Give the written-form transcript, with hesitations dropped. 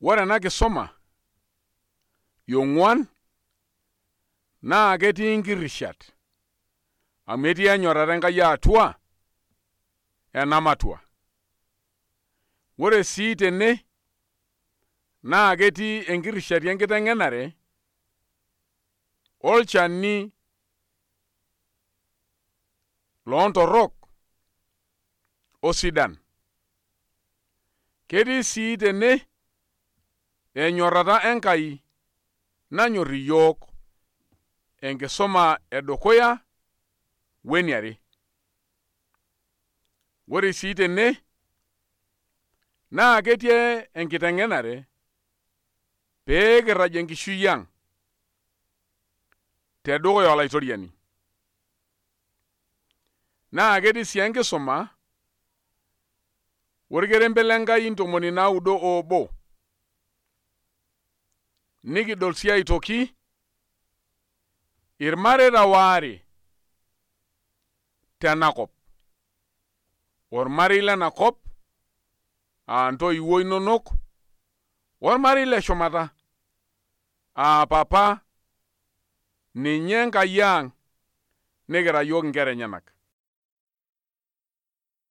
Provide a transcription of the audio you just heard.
Ore ena kisoma yong'uan naa ketii nkirishat amu etii enyorrata Enkai atua ena matua. Ore sii tene naa ketii enkirishati enkiteng'enare olchani loontorrok osidan. Ketii sii tene enyorrata Enkai nanyorr iyiok enkisoma edukuya weniare. Ore sii tene naa ketii enkiteng'enare pee kirraj enkishui ang' tedukuya olaitoriani. Naa ketii sii enkisuma orkerembe lenkai 91. Nikidol sii aitoki irmareita waare tenakop. Ormarei lenakop ntoiwuo inonok, ormarei leshumata papa ninye Enkai ang' nikira yiok inkera enyenak.